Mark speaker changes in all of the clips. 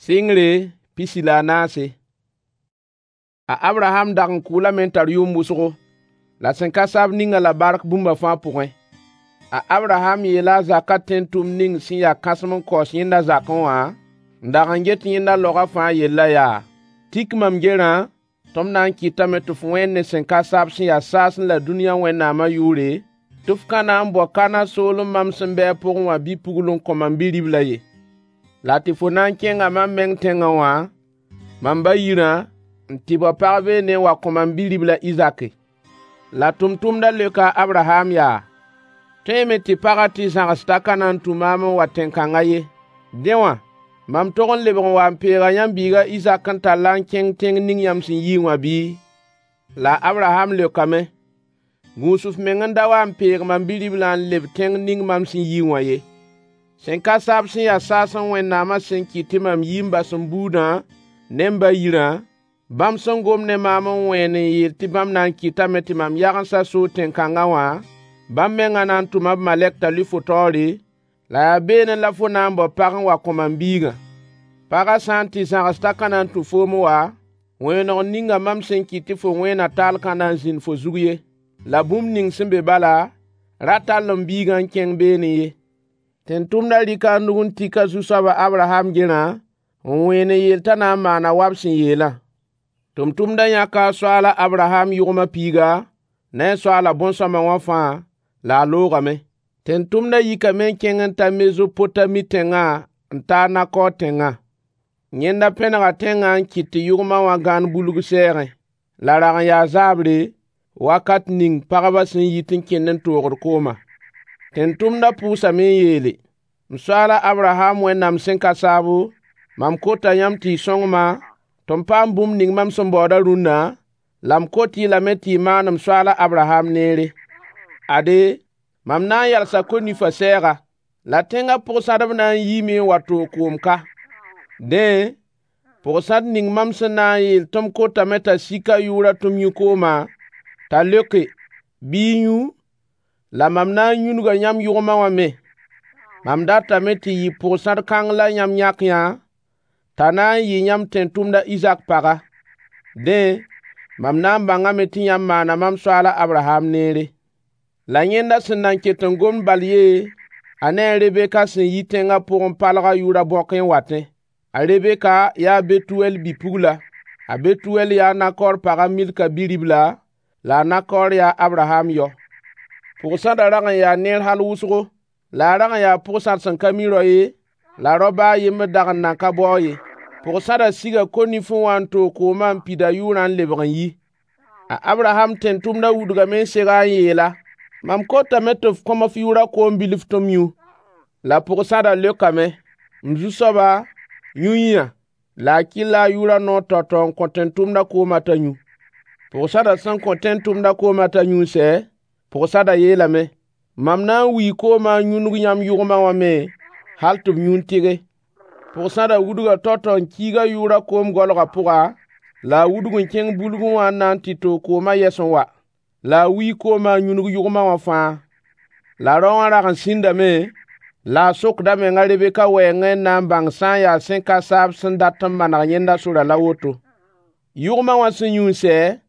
Speaker 1: Sɩngre 14. A Abraham dag n kʋʋlame n tar yʋʋm wʋsgo, la sẽn ka saab ning-a la bark bũmba fãa pʋgẽ. A Abraham yeela a zakã tẽn-tʋmd ning sẽn ya kãsem n kaoos yẽnda zakẽ wã, n dag n get yẽnda laogã fãa yellã yaa: Tik mam gerã tɩ m na n kɩtame tɩ f wẽen ne sẽn ka saab sẽn ya saasẽ la dũniyã Wẽnnaamã yʋʋre, tɩ f ka na n bao Kanã soolem mam sẽn bɩ a pʋgẽ wã bi-pugl n kõ mam bi-riblã ye. La tɩ fo na n kẽnga mam meng tẽngã wã, mam ba yirã, n tɩ bao pag beene n wa kõ mam bi-ribl a Izaki. La tʋmtʋmdã leoka a Abraham yaa: Tõeeme tɩ pagã tɩ zãgs t'a ka na n tũ maam n wa tẽn-kãnga ye. Dẽ wã, mam tog n lebg n wa n peega yãmb biig a Izak n tall-a n kẽng tẽng ning yãmb sẽn yiẽ wã bɩ? La a Abraham leokame: Gũus f meng n da wa n peeg mam bi-riblã n leb tẽng ning mam sẽn yi wã ye. Sẽn ka saab sẽn ya saasẽ Wẽnnaamã sẽn kɩt tɩ mam yi n bas m buudã ne m ba yirã, bãmb sẽn gom ne maam n wẽen n yeel tɩ bãmb na n kɩtame tɩ mam yagensã soog tẽn-kãngã wã, bãmb mengã na n tʋma b malɛk t'a lʋɩ fo taoore, la yaa beene la fo na n bao pag n wa kõ mam biigã. Pagã sã n tɩ zãgs t'a ka na n tũ foom n wa, wẽeneg ninga mam sẽn kɩt tɩ fo wẽena taal ka na n zĩnd fo zug ye. La bũmb ning sẽn be bala, ra tall m biigã n kẽng beene ye. Tẽn-tʋmdã rɩka a nug n tik a zu-soab a Abraham gerã, n wẽen n yeel t'a na n maana wa b sẽn yeelã. Tʋmtʋmdã yãka a soaal a Abraham yʋgmã piiga, ne a soaalã bõn-sõama wã fãa, la a loogame. Tẽn-tʋmdã yikame n kẽng n ta Mezopotami tẽngã n ta a Nakor tẽngã. Yẽnda pẽnega tẽngã n kɩt tɩ yʋgmã wã gãan bulg sɛɛgẽ. La rag n yaa zaabre, wakat ning pagbã sẽn yit n kẽnd n toogd koomã. Tẽn-tʋmdã pʋʋsame n yeele: M soaal a Abraham Wẽnnaam sẽn ka saabo, mam kota yãmb tɩ y sõng-ma tɩ m paam bũmb ning mam sẽn baoodã rũnna, la m kot-y lame tɩ y maan m soaal a Abraham neere. Ade, mam na n yalsa ko-nifã sɛɛga, la tẽngã pʋg-sãdb na n yiime n wa toog koom ka. Dẽ, pʋg-sãd ning mam sẽn na n yeel tɩ m kotame t'a sik a yʋʋrã tɩ m yũ koomã, t'a leoke: “Bɩ y yũ, la mam na n yũnuga yãmb yʋgmã wã me.” Mam datame tɩ yɩ pʋg-sãd kãng la yãmb yãk yã, t'a na n yɩ yãmb tẽn-tʋmd a Izak paga. Dẽ, mam na n bãngame tɩ yãmb maana mam soaal a Abraham neere. La yẽnda sẽn nan ket n gomd bal ye, a ne a Rebeka sẽn yi tẽngã pʋgẽ palg a yʋʋrã bõkẽ n watẽ. A Rebeka yaa a Betuwɛl bi-pugla. A Betuwɛl yaa a Nakor pag a Milka bi-ribla, la a Nakor yaa a Abraham yao. Pʋg-sãdã rag n yaa neer hal wʋsgo, la a rag n yaa pʋg-sãd sẽn ka mi rao ye, la rao ba a yembr dag n nan ka bao-a ye. Pʋg-sãdã siga ko-nifẽ wã n toog koomã n pid a yʋʋrã n lebg n yi. A Abraham tẽn-tʋmdã wudgame n seg-a n yeel-a: Mam kotame tɩ f kõ-m f yʋʋrã koom bilf tɩ m yũ. La pʋg-sãdã leokame: M zu-soaba, yũ yĩa. La a kɩlla a yʋʋrã noor tao-tao n kõ tẽn-tʋmdã koomã t'a yũ. Pʋg-sãdã sẽn kõ tẽn-tʋmdã koomã t'a yũ n sɛ, pʋg-sãdã yeelame: Mam na n wii koomã n yũnug yãmb yʋgmã wã me hal tɩ b yũ n tɩge. Pʋg-sãdã wudga tao-tao n kiig a yʋʋrã koom goalgã pʋga, la a wudg n kẽng bulgẽ wã n na n tɩ toog koomã yɛs n wa. La a wii koomã n yũnug yʋgmã wã fãa. La rao wã rag n sĩndame, la a sokd a meng a Rebeka wɛɛngẽ n na n bãng sã n yaa sẽn ka saab sẽn dat n maneg yẽnda sorã la woto. Yʋgmã wã sẽn yũ n sɛ,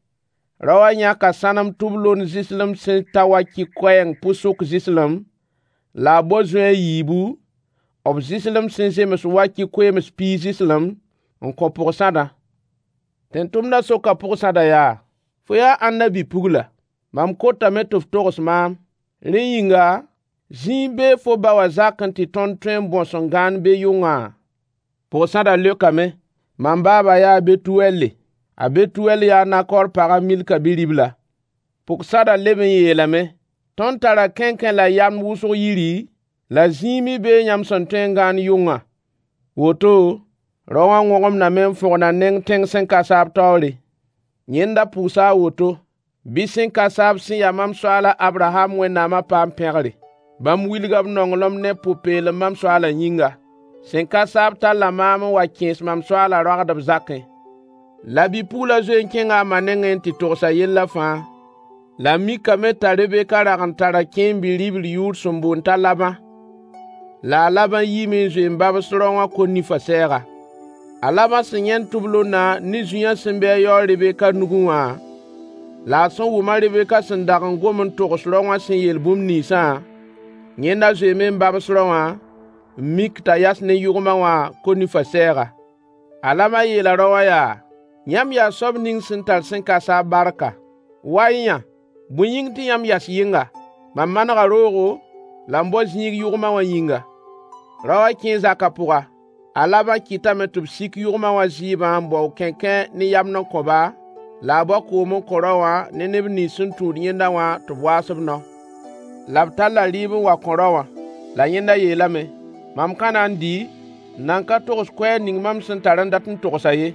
Speaker 1: rao wã yãka sãnem tʋb-lond zɩslem sẽn ta wa-kɩ koɛɛng pʋsʋk zɩslem, la a bao zoe a yiibu, b zɩslem sẽn zems wa-kɩ koeems piig zɩslem, n kõ pʋg-sãdã. Tẽn-tʋmdã soka pʋg-sãdã yaa: Fo yaa ãnna bi-pugla? Mam kotame tɩ f togs maam. Rẽ yĩnga, zĩig bee fo ba wã zakẽ tɩ tõnd tõe n bõs n gãand be yʋngã? Pʋg-sãdã leokame: Mam baaba yaa a Betuwɛlle. A Betuwɛl yaa a Nakor pag a Milka bi-ribla. Pʋg-sãdã leb n yeelame: Tõnd tara kẽnkẽ la yamd wʋsg yiri, la zĩig me bee yãmb sẽn tõe n gãand yʋngã. Woto, rao wã wõgemdame n fõgen a neng tẽng sẽn ka saab taoore. Yẽnda pʋʋsa a woto: Bɩ sẽn ka saab sẽn ya mam soaal a Abraham Wẽnnaamã paam pẽgre. Bãmb wilga b nonglem ne pʋ-peelem mam soaalã yĩnga. Sẽn ka saab talla maam n wa kẽes mam soaalã roagdb zakẽ. La bi-puglã zoe n kẽnga a ma nengẽ n tɩ togs a yellã fãa. La a mikame t'a Rebeka rag n tara kẽem bi-ribl yʋʋr sẽn boond t'a Labã. La a Labã yiime n zoe n babs rao wã ko-nifã sɛɛga. A Labã sẽn yãend tʋblondã ne zũyã sẽn be a yao a Rebeka nugẽ wã, la a sẽn wʋm a Rebeka sẽn dag n gom n togs rao wã sẽn yeel bũmb ninsã, yẽnda zoeeme n babs rao wã n mik t'a yas ne yʋgmã wã ko-nifã sɛɛga. A Labã yeela rao wã yaa: Yãmb yaa soab ning sẽn tar sẽn ka saab barka. Wa-y yã, bõe yĩng tɩ yãmb yas yɩnga? Mam manega roogo la m bao zĩig yʋgmã wã yĩnga. Rao wã kẽe zakã pʋga. A Labã kɩtame tɩ b sik yʋgmã wã zɩɩbã n bao kẽnkẽ ne yamd n kõ-ba, la a bao koom n kõ rao wã ne neb nins sẽn tũud yẽnda wã tɩ b waas b nao. La b talla rɩɩb n wa kõ rao wã. La yẽnda yeelame: Mam ka na n dɩ, n nan ka togs koɛɛg ning mam sẽn tar n dat n togsã ye.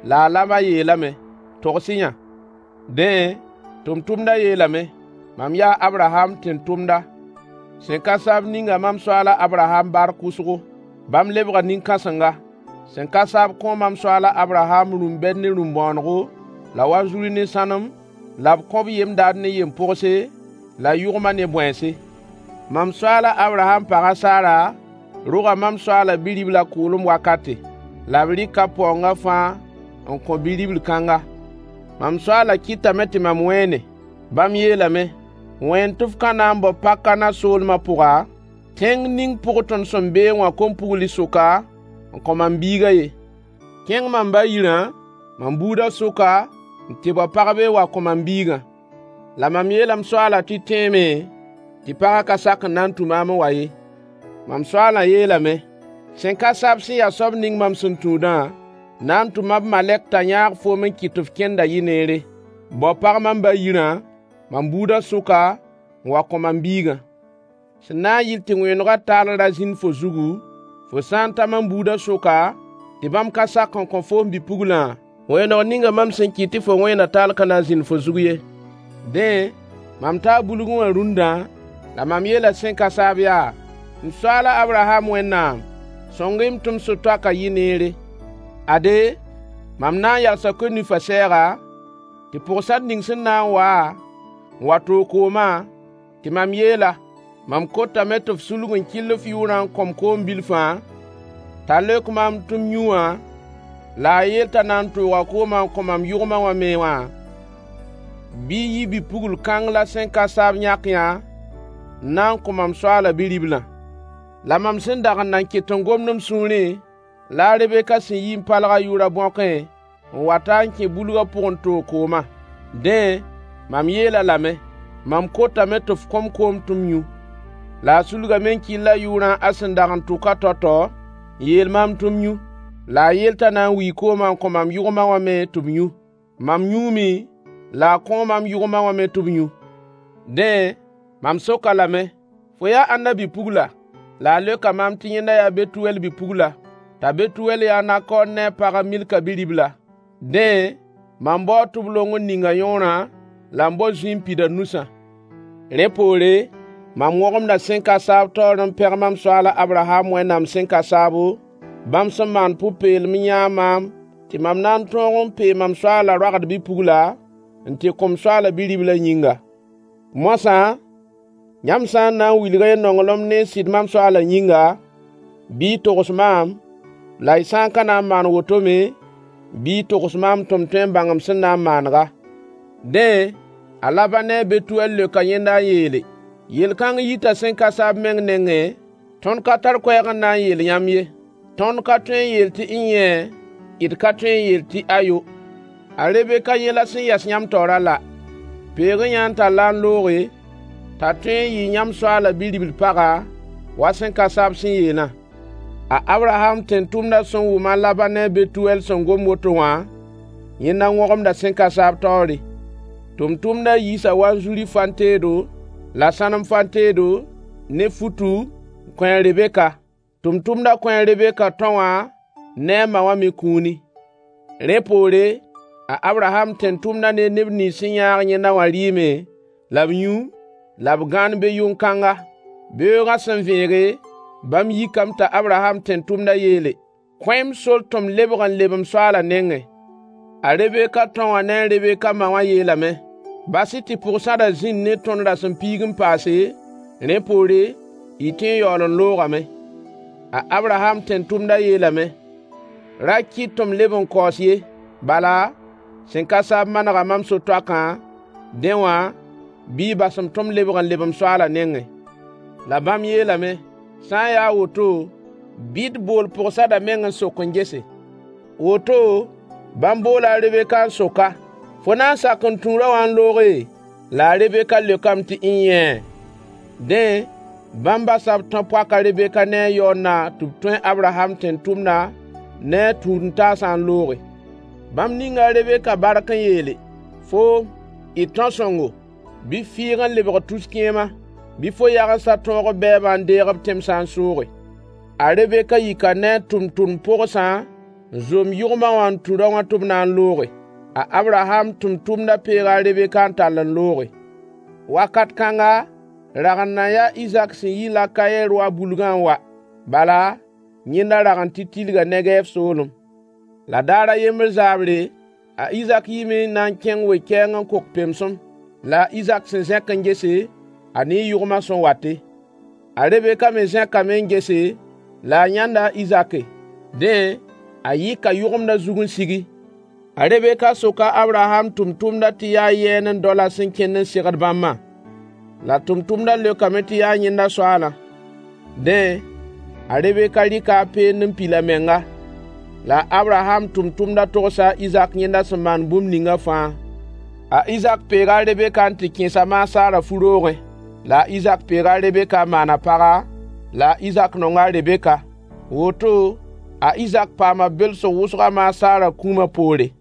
Speaker 1: La a Labã yeelame: Togs-y yã. Dẽ, tʋmtʋmdã yeelame: Mam yaa a Abraham tẽn-tʋmda. Sẽn ka saab ninga mam soaal a Abraham bark wʋsgo. Bãmb lebga nin-kãsenga. Sẽn ka saab kõo mam soaal a Abraham rũm-bɛd ne rũm-bõonego, la wanzuri ne sãnem, la b kõ-b yem-dad ne yem-pogse, la yʋgma ne bõense. Mam soaal a Abraham pag a Sara roga mam soaalã bi-riblã kʋʋlem wakate. La b rɩka paoongã fãa n kõ bi-ribl kãnga. Mam soaalã kɩtame tɩ mam wẽene. Bãmb yeelame: Wẽen tɩ f ka na n bao pag-kãna soolmã pʋga, tẽng ning pʋg tõnd sẽn beẽ wã kom-pugl sʋka n kõ mam biigã ye. Kẽng mam ba yirã, mam buudã sʋka, n tɩ bao pagb n wa kõ mam biigã. La mam yeela m soaalã tɩ tẽeme tɩ pagã ka sak n na n tũ maam n wa ye. Mam soaalã yeelame: Sẽn ka saab sẽn ya soab ning mam sẽn tũudã, na n tʋma b malɛk t'a yãag foom n kɩt tɩ f kẽnda yɩ neere. Bao pag mam ba yirã, mam buudã sʋka, n wa kõ mam biigã. Sẽn na n yɩl tɩ wẽenegã taal ra zĩnd fo zugu, fo sã n ta mam buudã sʋka, tɩ bãmb ka sak n kõ foom bi-puglã, wẽeneg ninga mam sẽn kɩt tɩ fo wẽena taal ka na n zĩnd fo zug ye. Dẽ, mam taa bulgẽ wã rũndã, la mam yeela sẽn ka saab yaa: M soaal a Abraham Wẽnnaam, sõng-y-m tɩ m sũ-toakã yɩ neere. Ade, mam na n yalsa ko-nifã sɛɛga, tɩ pʋg-sãd ning sẽn na n waa n wa toog koomã, tɩ mam yeel-a: Mam kotame tɩ f sulg n kɩll f yʋʋrã n kõ-m koom bilfã, t'a leok maam tɩ m yũ wã, la a yeel t'a na n tooga koomã n kõ mam yʋgmã wã me wã, bɩ yɩ bi-pugl kãng la sẽn ka saab yãk yã n na n kõ mam soaalã bi-riblã. La mam sẽn dag n nan ket n gomd m sũurẽ, la a Rebeka sẽn yi n palg a yʋʋrã bõkẽ n wata n kẽ bulgã pʋg n toog koomã. Dẽ, mam yeel-a lame: Mam kotame tɩ f kõ-m koom tɩ m yũ. La a sulgame n kɩll a yʋʋrã a sẽn dag n tʋka tao-tao, n yeel maam tɩ m yũ. La a yeel t'a na n wii koomã n kõ mam yʋgmã wã me tɩ b yũ. Mam yũume, la a kõo mam yʋgmã wã me tɩ b yũ. Dẽ, mam sok-a lame: Fo yaa ãnna bi-pugla? La a leoka maam tɩ yẽnda yaa Betuwɛl bi-pugla, t'a Betuwɛl yaa a Nakor ne a pag a Milka bi-ribla. Dẽ, mam baoo tʋblong n ning a yõorã, la m bao zũy n pid a nusã. Rẽ poore, mam wõgemda sẽn ka saab taoor n pẽg mam soaal a Abraham Wẽnnaam sẽn ka saabo, bãmb sẽn maan pʋ-peelem n yãag maam tɩ mam na n tõog n pee mam soaalã roagd bi-pugla n tɩ kõ m soaalã bi-riblã yĩnga. Moasã, yãmb sã n na n wilg-y y nonglem ne y sɩd mam soaalã yĩnga, bɩ y togs maam, la y sã n ka na n maan woto me, bɩ y togs maam tɩ m tõe n bãng m sẽn na n maanega. Dẽ, a Labã ne a Betuwɛl leoka yẽnda n yeele: Yel-kãng yita sẽn ka saab meng nengẽ, tõnd ka tar koɛɛg n na n yeel yãmb ye. Tõnd ka tõe n yeel tɩ n-yẽe, d ka tõe n yeel tɩ ayo. A Rebeka yẽ la sẽn yas yãmb taoorã la. Peeg-y yã n tall-a n looge, t'a tõe n yɩ yãmb soaalã bi-ribl paga, wa sẽn ka saab sẽn yeelã. A Abraham tẽn-tʋmdã sẽn wʋm a Labã ne a Betuwɛl sẽn gom woto wã, yẽnda wõgemda sẽn ka saab taoore. Tʋmtʋmdã yiisa wanzuri fan-teedo, la sãnem fan-teedo, ne futu, n kõ a Rebeka. Tʋmtʋmdã kõ a Rebeka tão wã ne a ma wã me kũuni. Rẽ poore, a Abraham tẽn-tʋmdã ne neb nins sẽn yãag yẽnda wã rɩɩme, la b yũ, la b gãan be yʋn-kãnga. Beoogã sẽn vẽege, bãmb yikame t'a Abraham tẽn-tʋmdã yeele: Kõ-y-m sor tɩ m lebg n leb m soaalã nengẽ. A Rebeka tão wã ne a Rebeka ma wã yeelame: Bas-y tɩ pʋg-sãdã zĩnd ne tõnd rasem-piig n paase, rẽ poore, y tõe n yaool n loogame. A Abraham tẽn-tʋmdã yeelame: Ra kɩt tɩ m leb n kaoos ye. Bala, sẽn ka saab manega mam so-toakã, dẽ wã bɩ y bas-m tɩ m lebg n leb m soaalã nengẽ. La bãmb yeelame: Sã n ya a woto, bɩ d bool pog-sadã meng n sok n gese. Woto, bãmb boola a Rebeka n sok-a: Fo na n sak n tũu rao wã n looge? La a Rebeka leokame tɩ n-yẽe. Dẽ, bãmb basa b tão-poak a Rebeka ne a yaoondã tɩ b tũ a Abraham tẽn-tʋmdã ne a tũud-n-taasã n looge. Bãmb ninga a Rebeka bark n yeele: Foom, d tão-sõngo, bɩ f fɩɩg n lebg tus-kẽema. Bɩ fo yagensã tõog b bɛɛbã n deeg b tẽmsã n sooge. A Rebeka yika ne a tʋmtʋmd-pogsã n zom yʋgmã wã n tũ rao wã tɩ b na n looge. A Abraham tʋmtʋmdã peega a Rebeka n tall n looge. Wakat kãnga, rag n nan yaa Izak sẽn yi Lakaye-roa bulgã n wa. Bala, yẽnda rag n tɩ tilga Negɛɛv soolem. La daar a yembr zaabre, a Izak yiime n na n kẽng we-kɛɛng n kok pemsem. La a Izak sẽn zẽk n gese, a nee yʋgmã sẽn wate. A Rebeka me zẽkame n gese, la a yãnda a Izake. Dẽ, a yɩka yʋgemdã zug n sigi. A Rebeka soka a Abraham tʋmtʋmdã tɩ yaa yɛɛne n dao la sẽn kẽnd n segd bãmbã. La tʋmtʋmdã leokame tɩ yaa yẽnda soaalã. Dẽ, a Rebeka rɩka a peend n pil a menga. La a Abraham tʋmtʋmdã togsa a Izak yẽnda sẽn maan bũmb ninga fãa. A Izak peega a Rebeka n tɩ kẽes a maasaarã fu-roogẽ. La a Izak peega a Rebeka n maan a paga, la a Izak nonga a Rebeka. Woto, a Izak paama belsg wʋsg a maasaarã kũumã poore.